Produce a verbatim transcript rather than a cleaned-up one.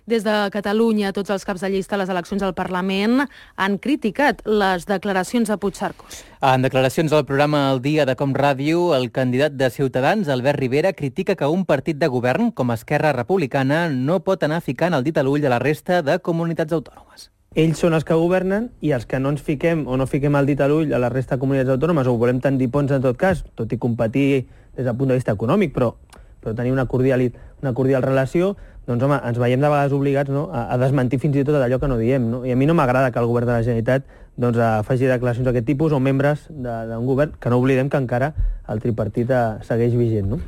Des de Catalunya, tots els caps de llista a les eleccions al Parlament han criticat les declaracions de Puigcercós. En declaracions al programa El Dia de Com Ràdio, el candidat de Ciutadans, Albert Rivera, critica que un partit de govern com Esquerra Republicana no pot anar ficant el dit a l'ull a la resta de comunitats autònomes. Ells són els que governen i els que no ens fiquem o no fiquem el dit a l'ull a la resta de comunitats autònomes o volem tendir ponts en tot cas, tot i competir des del punt de vista econòmic, però, però tenir una cordial, una cordial relació, doncs home, ens veiem de vegades obligats, no?, a, a desmentir fins i tot allò que no diem, no? I a mi no m'agrada que el govern de la Generalitat doncs, faci declaracions d'aquest tipus o membres d'un govern, que no oblidem que encara el tripartit segueix vigent, no?